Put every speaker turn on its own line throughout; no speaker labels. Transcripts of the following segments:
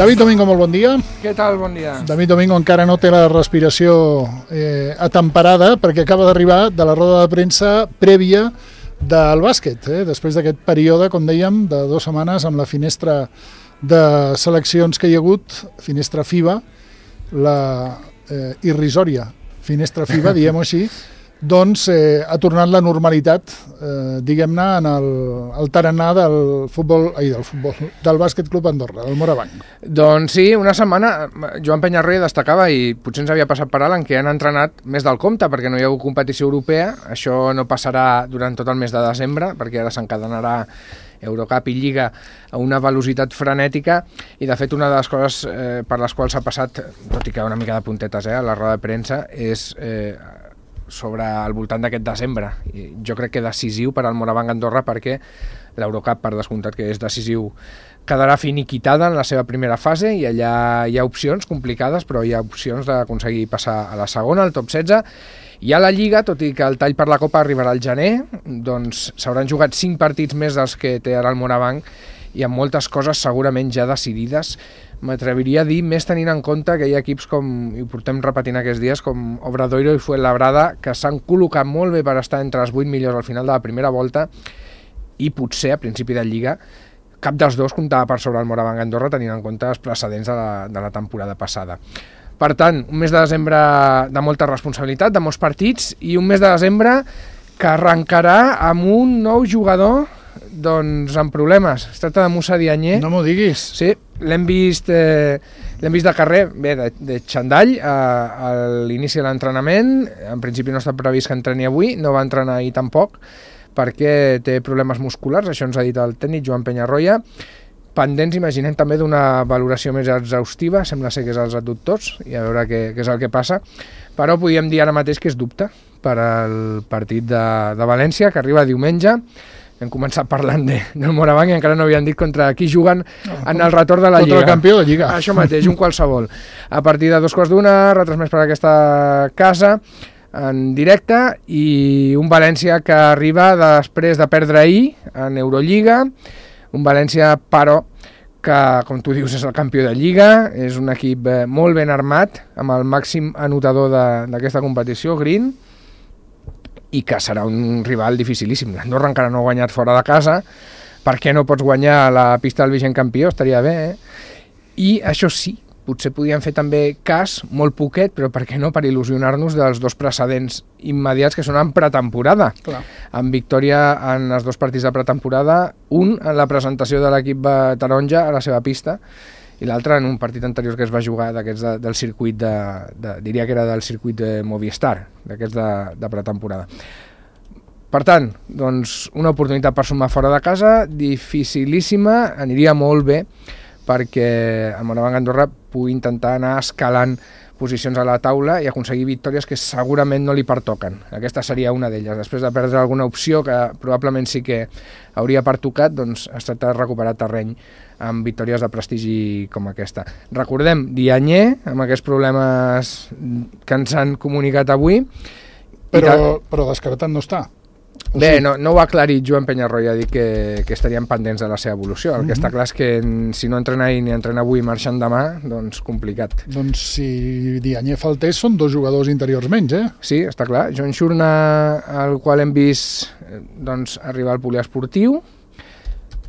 David Domingo, molt bon dia.
Què tal? Bon dia.
David Domingo encara no té la respiració atemperada perquè acaba d'arribar de la roda de premsa prèvia del bàsquet, després d'aquest període, com dèiem, de 2 setmanes amb la finestra de seleccions que hi ha hagut, finestra FIBA, la irrisòria finestra FIBA, diguem-ho així, doncs ha tornat la normalitat, diguem-ne, en el tarannà del Bàsquet Club Andorra, del Morabanc.
Doncs sí, una setmana, Joan Penyarroia destacava, i potser ens havia passat per alt, en què han entrenat més del compte, perquè no hi ha hagut competició europea. Això no passarà durant tot el mes de desembre, perquè ara s'encadenarà Eurocup i Lliga a una velocitat frenètica, i de fet una de les coses per les quals s'ha passat, tot i que una mica de puntetes a la roda de premsa, és sobre al voltant d'aquest desembre. Jo crec que decisiu per al Morabanc Andorra, perquè l'Eurocup, per descomptat que és decisiu, quedarà finiquitada en la seva primera fase, i allà hi ha opcions complicades, però hi ha opcions d'aconseguir passar a la segona, al top 16, i a la Lliga, tot i que el tall per la Copa arribarà al gener, doncs s'hauran jugat 5 partits més dels que té ara el Morabanc, i amb moltes coses segurament ja decidides. M'atreviria a dir, més tenint en compte que hi ha equips com, i ho portem repetint aquests dies, com Obradoiro i Fuenlabrada, que s'han col·locat molt bé per estar entre els 8 millors al final de la primera volta, i potser a principi de Lliga cap dels dos comptava per sobre el Morabanc Andorra, tenint en compte els precedents de la temporada passada. Per tant, un mes de desembre de molta responsabilitat, de molts partits, i un mes de desembre que arrencarà amb un nou jugador doncs amb problemes. Es tracta de Moussa Diagne.
No m'ho diguis.
Sí, l'hem vist de carrer, bé, de xandall a l'inici de l'entrenament. En principi no està previst que entreni avui, no va entrenar ahir tampoc, perquè té problemes musculars, això ens ha dit el tècnic Joan Penyarroia. Pendents, imaginem, també d'una valoració més exhaustiva, sembla ser que és als adductors, i a veure què és el que passa, però podríem dir ara mateix que és dubte per al partit de València, que arriba diumenge. Hem començat parlant del Morabanc i encara no havien dit contra qui juguen en el retorn de la Lliga.
Contra el campió de Lliga.
Això mateix, un qualsevol. A partir de 2:15, retransmès per aquesta casa, en directe, i un València que arriba després de perdre ahir en Eurolliga, un València, però, que, com tu dius, és el campió de Lliga, és un equip molt ben armat, amb el màxim anotador d'aquesta competició, Green, i que serà un rival dificilíssim. L'Andorra encara no ha guanyat fora de casa. Per què no pots guanyar a la pista del vigent campió? Estaria bé, I això sí, potser podíem fer també cas, molt poquet, però per què no, per il·lusionar-nos dels 2 precedents immediats que són en pretemporada.
Clar.
Amb victòria en els 2 partits de pretemporada, un en la presentació de l'equip taronja a la seva pista, i l'altre en un partit anterior que es va jugar d'aquests del circuit diria que era del circuit de Movistar, d'aquests de pretemporada. Per tant, doncs, una oportunitat per sumar fora de casa, dificilíssima, aniria molt bé perquè el Morabanc Andorra pugui intentar anar escalant posicions a la taula i aconseguir victòries que segurament no li pertoquen. Aquesta seria una d'elles. Després de perdre alguna opció que probablement sí que hauria pertocat, doncs es tracta de recuperar terreny amb victòries de prestigi com aquesta. Recordem, Diagne, amb aquests problemes que ens han comunicat avui.
Però descartat no està.
Bé, no ho ha aclarit Joan Penyarroia, ha dit que estarien pendents de la seva evolució. El que està clar és que si no entrena ahir ni entrena avui marxant demà, doncs complicat.
Doncs si Diagne faltés són 2 jugadors interiors menys,
Sí, està clar. Joan Xurna, al qual hem vist arribar al poliesportiu.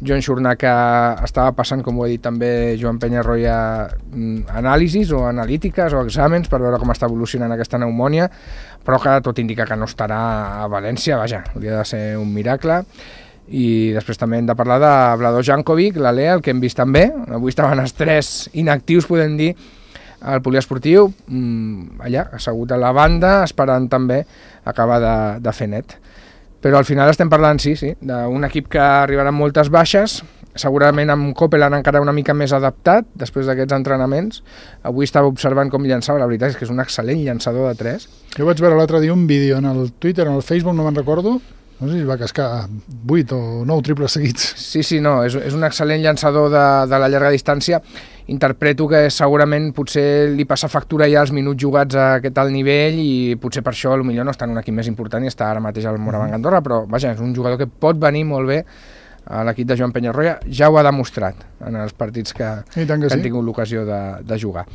Joan Xurna, que estava passant, com ho ha dit també Joan Penyarroia, anàlisis o analítiques o exàmens per veure com està evolucionant aquesta pneumònia, però que tot indica que no estarà a València, vaja, hauria de ser un miracle. I després també hem de parlar de Vlado Jankovic, l'Alea, el que hem vist també. Avui estaven els 3 inactius, podem dir, al poliesportiu, allà, assegut a la banda, esperant també acabar de fer net. Però al final estem parlant, sí, d'un equip que arribarà amb moltes baixes, segurament amb Copeland encara una mica més adaptat després d'aquests entrenaments. Avui estava observant com llançava, la veritat és que és un excel·lent llançador de 3.
Jo vaig veure l'altre dia un vídeo en el Twitter, en el Facebook, no me'n recordo, no sé si va cascar 8 o 9 triples seguits.
Sí, no, és un excel·lent llançador de la llarga distància. Interpreto que segurament potser li passa factura ja els minuts jugats a aquest alt nivell i potser per això potser no està en un equip més important i està ara mateix al Morabanc Andorra, però vaja, és un jugador que pot venir molt bé a l'equip de Joan Penyarroia, ja ho ha demostrat en els partits que han tingut l'ocasió de jugar.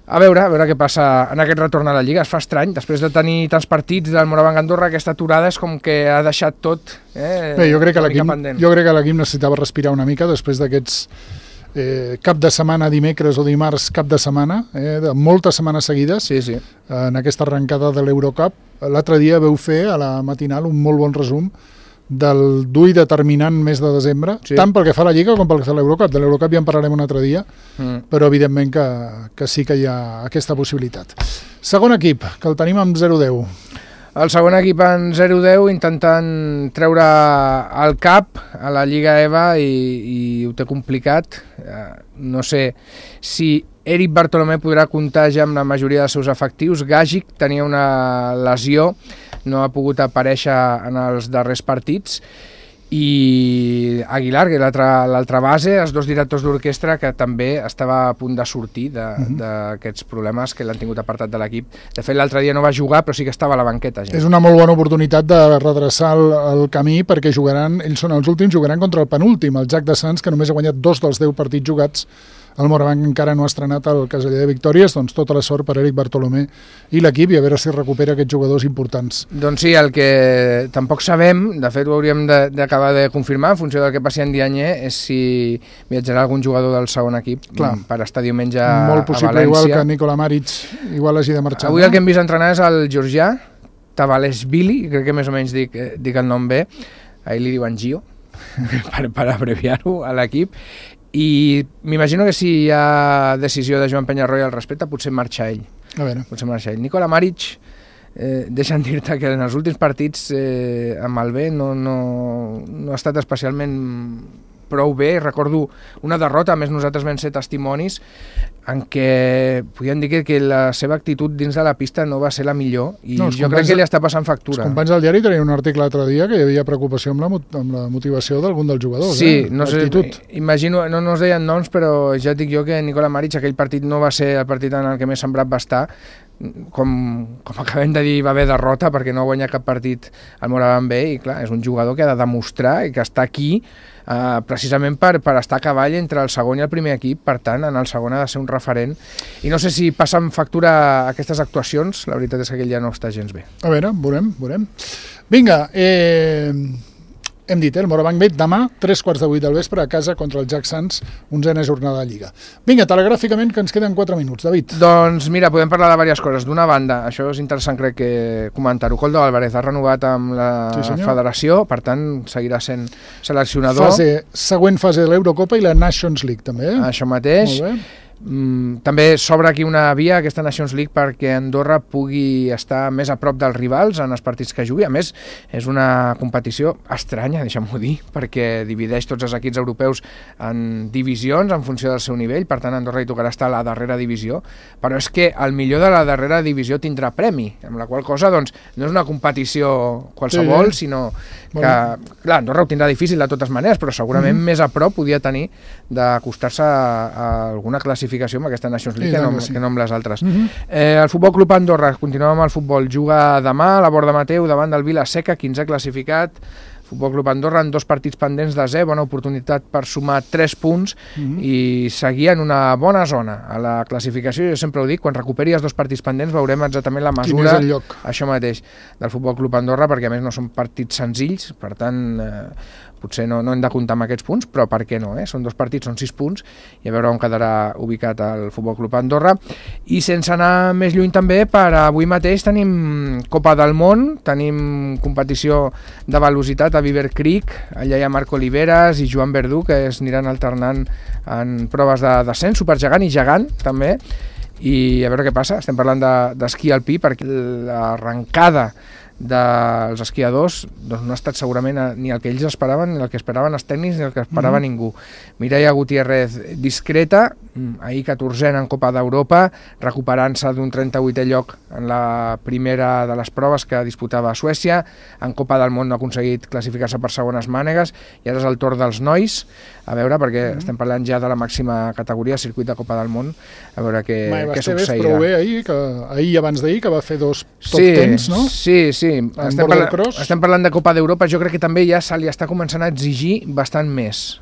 A veure què passa en aquest retorn a la Lliga. Es fa estrany, després de tenir tants partits del Morabanc Andorra, aquesta aturada és com que ha deixat tot
Bé, jo crec que l'equip necessitava respirar una mica després d'aquests cap de setmana, dimecres o dimarts, cap de setmana, de moltes setmanes seguides,
sí.
En aquesta arrencada de l'Eurocup. L'altre dia veu fer a la matinal un molt bon resum del dur i determinant mes de desembre, tant pel que fa a la Lliga com pel que fa a l'Eurocup. De l'Eurocup ja en parlarem un altre dia, però evidentment que sí que hi ha aquesta possibilitat. Segon equip, que el tenim amb 0-10.
El segon equip en 0-10 intentant treure el cap a la Lliga EVA i ho té complicat. No sé si Eric Bartolomé podrà comptar ja amb la majoria dels seus efectius. Gàgic tenia una lesió, no ha pogut aparèixer en els darrers partits, i Aguilar, que és l'altra base, els dos directors d'orquestra, que també estava a punt de sortir d'aquests problemes que l'han tingut apartat de l'equip. De fet, l'altre dia no va jugar, però sí que estava a la banqueta. Ja.
És una molt bona oportunitat de redreçar el camí, perquè ells són els últims, jugaran contra el penúltim, el Jack de Sants, que només ha guanyat 2 dels 10 partits jugats. El Morabanc encara no ha estrenat el caseller de victòries, doncs tota la sort per Eric Bartolomé i l'equip, i a veure si recupera aquests jugadors importants.
Doncs sí, el que tampoc sabem, de fet ho hauríem d'acabar de confirmar en funció del que passi en Dianyé, és si viatjarà algun jugador del segon equip per estar diumenge a València.
Molt possible, igual que Nikola Maric igual hagi de marxar.
Avui el que hem vist entrenar és el georgià Tavaleshvili, crec que més o menys dic el nom bé, ahir li diuen Gio, per abreviar-ho a l'equip, i m'imagino que si hi ha decisió de Joan Penyarroia al respecte, potser marxa ell. Potser marxa ell. Nikola Maric, deixa'm dir-te que en els últims partits amb el B no ha estat especialment prou bé. Recordo una derrota, a més nosaltres vam ser testimonis, en què podíem dir que la seva actitud dins de la pista no va ser la millor, i jo crec que li està passant factura.
Els companys del diari tenien un article l'altre dia que hi havia preocupació amb la motivació d'algun dels jugadors.
Sí, no sé, imagino, no es deien noms, però ja et dic jo que Nikola Maric aquell partit no va ser el partit en el que més sembrat va estar. Com acabem de dir, va haver derrota perquè no guanya cap partit al Morabanc B, i clar, és un jugador que ha de demostrar i que està aquí precisament per estar a cavall entre el segon i el primer equip. Per tant, en el segon ha de ser un referent, i no sé si passen factura aquestes actuacions. La veritat és que aquell ja no està gens bé.
A veure, veurem. Vinga, hem dit, el Morabanc B demà, 7:45 del vespre, a casa contra el Jack Sants, 11a jornada de Lliga. Vinga, telegràficament, que ens queden 4 minuts. David.
Doncs mira, podem parlar de diverses coses. D'una banda, això és interessant, crec que comentar-ho, Koldo Álvarez ha renovat amb la federació, per tant, seguirà sent seleccionador.
Següent fase de l'Eurocopa i la Nations League, també.
Això mateix.
Molt bé.
També s'obre aquí una via, aquesta Nations League, perquè Andorra pugui estar més a prop dels rivals en els partits que jugui. A més, és una competició estranya, deixa'm-ho dir, perquè divideix tots els equips europeus en divisions en funció del seu nivell. Per tant, a Andorra hi tocarà estar a la darrera divisió, però és que el millor de la darrera divisió tindrà premi, amb la qual cosa doncs, no és una competició qualsevol, sinó que, clar, Andorra ho tindrà difícil de totes maneres, però segurament més a prop podia tenir d'acostar-se a alguna classificació amb aquesta Nations League que no amb les altres. El Futbol Club Andorra, continuem amb el futbol, juga demà a la Borda Mateu davant del Vila-seca, 15è classificat. Futbol Club Andorra en 2 partits pendents de 0, bona oportunitat per sumar 3 punts i seguir en una bona zona a la classificació. Jo sempre ho dic, quan recuperi els 2 partits pendents veurem exactament la mesura, això mateix, del Futbol Club Andorra, perquè a més no són partits senzills, per tant potser no hem de comptar amb aquests punts, però per què no? Són 2 partits, són 6 punts, i a veure on quedarà ubicat el Futbol Club Andorra. I sense anar més lluny també, per avui mateix tenim Copa del Món, tenim competició de velocitat a Beaver Creek, allà hi ha Marc Oliveras i Joan Verdú, que es aniran alternant en proves de descens, supergegant i gegant també, i a veure què passa. Estem parlant d'esquí alpí, perquè l'arrencada dels esquiadors doncs no ha estat segurament ni el que ells esperaven, ni el que esperaven els tècnics, ni el que esperava ningú. Mireia Gutiérrez discreta, ahir 14a en Copa d'Europa, recuperant-se d'un 38è lloc en la primera de les proves que disputava a Suècia. En Copa del Món no ha aconseguit classificar-se per segones mànegues, i ara és el torn dels nois, a veure, perquè estem parlant ja de la màxima categoria, circuit de Copa del Món, a veure què succeirà.
Prou bé ahir i abans d'ahir, que va fer 2 top 10, no?
Sí, estem parlant de Copa d'Europa, jo crec que també ja se li està començant a exigir bastant més.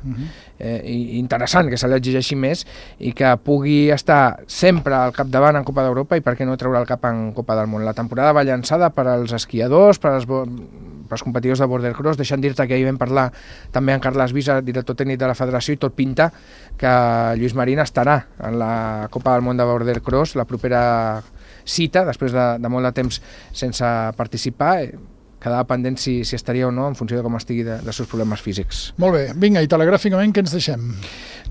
Interessant que se li exigeixi més i que pugui estar sempre al capdavant en Copa d'Europa i per què no treure el cap en Copa del Món. La temporada va llançada per als esquiadors, per als competidors de border cross, deixant dir-te que ahir vam parlar també amb Carles Visa, director tècnic de la federació, i tot pinta que Lluís Marín estarà en la Copa del Món de border cross, la propera cita, després de molt de temps sense participar. Quedava pendent si estaria o no en funció de com estigui dels seus problemes físics.
Molt bé, vinga, i telegràficament què ens deixem?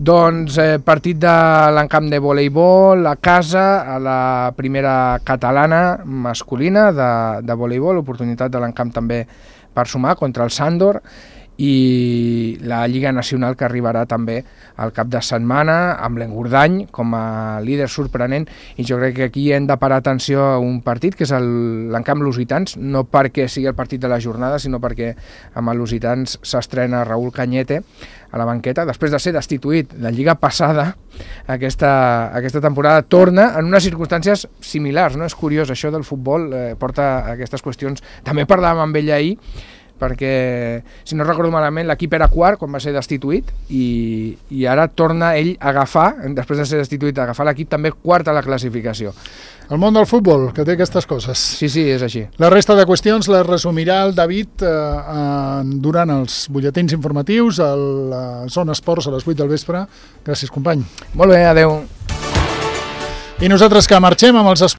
Doncs partit de l'encamp de voleibol a casa, a la primera catalana masculina de voleibol, oportunitat de l'encamp també per sumar contra el Sandor, i la Lliga Nacional que arribarà també al cap de setmana amb l'Engordany com a líder sorprenent, i jo crec que aquí hem de parar atenció a un partit que és l'encamp Lusitans, no perquè sigui el partit de la jornada, sinó perquè amb el Lusitans s'estrena Raúl Cañete a la banqueta, després de ser destituït la Lliga passada. Aquesta temporada torna en unes circumstàncies similars, no? És curiós, això del futbol porta a aquestes qüestions. També parlàvem amb ell ahir, perquè, si no recordo malament, l'equip era quart quan va ser destituït i ara torna ell a agafar, després de ser destituït, a agafar l'equip també quart a la classificació.
El món del futbol, que té aquestes coses.
Sí, és així.
La resta de qüestions les resumirà el David durant els butlletins informatius a la Zona Esports a les 8 del vespre. Gràcies, company.
Molt bé, adeu.
I nosaltres que marxem amb els esports